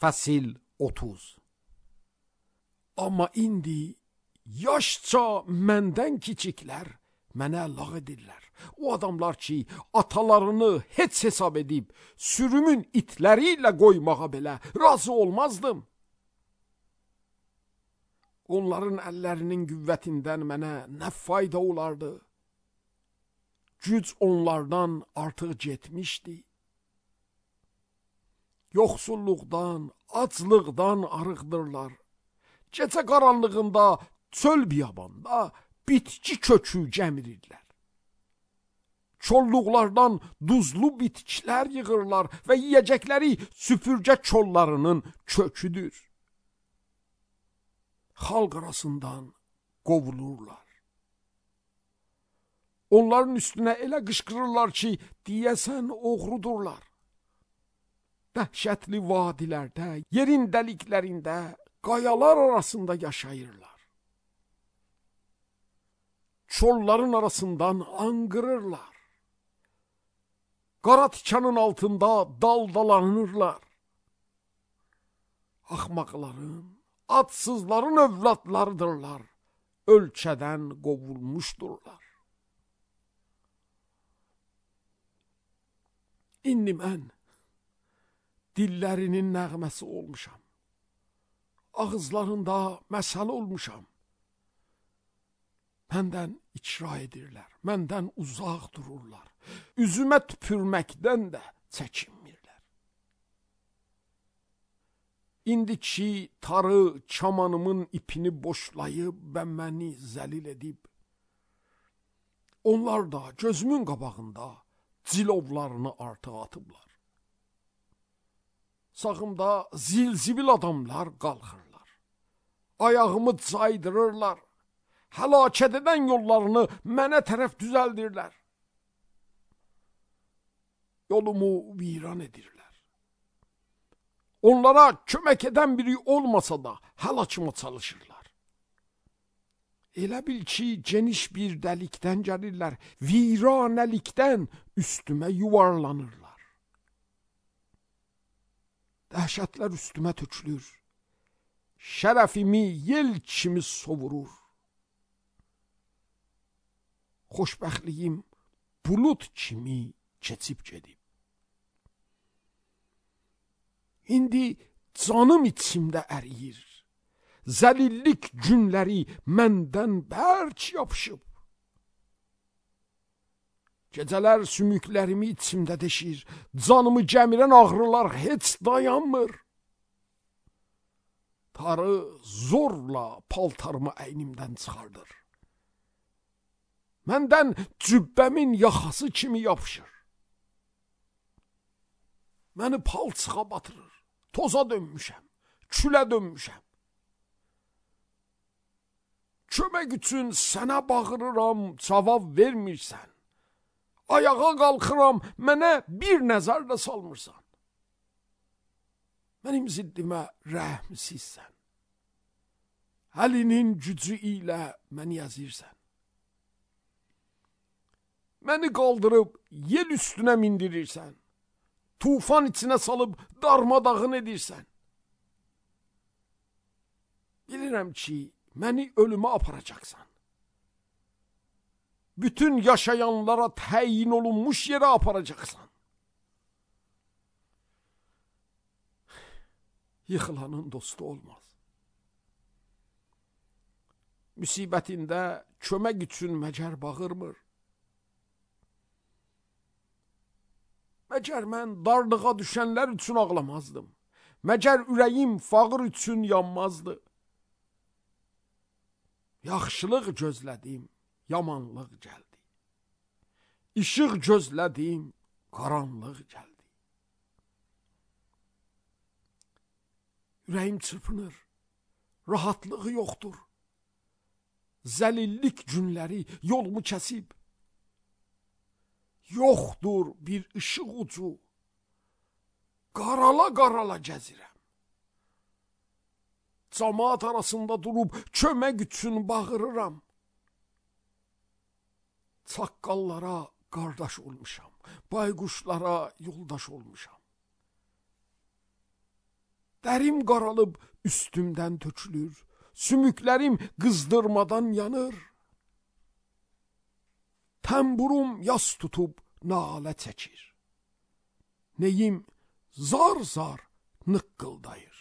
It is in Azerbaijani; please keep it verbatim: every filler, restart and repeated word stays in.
Fəsil otuz. Amma indi yaşca məndən kiçiklər mənə lağ edirlər. O adamlar ki, atalarını heç hesab edib, sürümün itləri ilə qoymağa belə razı olmazdım. Onların əllərinin qüvvətindən mənə nə fayda olardı? Güc onlardan artıq getmişdi. Yoxsulluqdan, aclıqdan arıqdırlar. Gecə qaranlığında, çöl biyabanda bitki kökü gəmirirlər. Çolluqlardan duzlu bitkilər yığırlar və yiyəcəkləri süpürgə çollarının köküdür. Xalq arasından qovulurlar. Onların üstünə elə qışqırırlar ki, deyəsən oğrudurlar. Dəhşətli vadilərdə, yerin dəliklərində, qayalar arasında yaşayırlar. Çolların arasından anqırırlar. Qara tikanın altında daldalanırlar. Axmaqların, adsızların övladlarıdırlar. Ölkədən qovulmuşdurlar. İndi mən dillərinin nəğməsi olmuşam. Ağızlarında məsəl olmuşam. Məndən icra edirlər, məndən uzaq dururlar. Üzümə tüpürməkdən də çəkinmirlər. İndi ki, tarı kamanımın ipini boşlayıb və məni zəlil edib, onlar da gözümün qabağında cilovlarını artıq atıblar. Sağımda zil-zibil adamlar qalxırlar. Ayağımı caydırırlar. Həlakət edən yollarını mənə tərəf düzəldirlər. Yolumu viran edirlər. Onlara kömək edən biri olmasa da həlakıma çalışırlar. Elə bil ki, geniş bir dəlikdən gəlirlər, viranəlikdən üstümə yuvarlanırlar. Dəhşətlər üstümə tökülür. Şərəfimi yel kimi sovurur. Xoşbəxtliyim bulut kimi keçib gedib. İndi canım içimdə əriyir. Zəlillik günləri məndən bərk yapışıb. Gecələr sümüklərimi içimdə deşir. Canımı gəmirən ağrılar heç dayanmır. Tarı zorla paltarımı əynimdən çıxardır. Məndən cübbəmin yaxası kimi yapışır. Məni palçığa batırır. Toza dönmüşəm, külə dönmüşəm. Kömək üçün sənə bağırıram, cavab vermirsən. Ayağa qalxıram, mənə bir nəzər də salmırsan. Mənim ziddimə rəhmsizsən. Əlinin gücü ilə məni əzirsən. Məni qaldırıb yel üstünə mindirirsən. Tufan içinə salıb darmadağın edirsən. Bilirəm ki, məni ölümə aparacaqsan. Bütün yaşayanlara təyin olunmuş yerə aparacaqsan. Yıxılanın dostu olmaz. Müsibətində kömək üçün məgər bağırmır. Məgər mən darlığa düşənlər üçün ağlamazdım. Məgər ürəyim fağır üçün yanmazdı. Yaxşılıq gözlədim, yamanlıq gəldi. İşıq gözlədim, qaranlıq gəldi. Ürəyim çırpınır, rahatlığı yoxdur. Zəlillik günləri yolumu kəsib. Yoxdur bir ışıq ucu. Qarala-qarala gəzirəm. Camaat arasında durub kömək üçün bağırıram. Çaqqallara qardaş olmuşam. Bayquşlara yoldaş olmuşam. Dərim qaralıb üstümdən tökülür, sümüklərim qızdırmadan yanır. Təmburum yas tutub nalə çəkir. Neyim zar zar nıqqıldayır.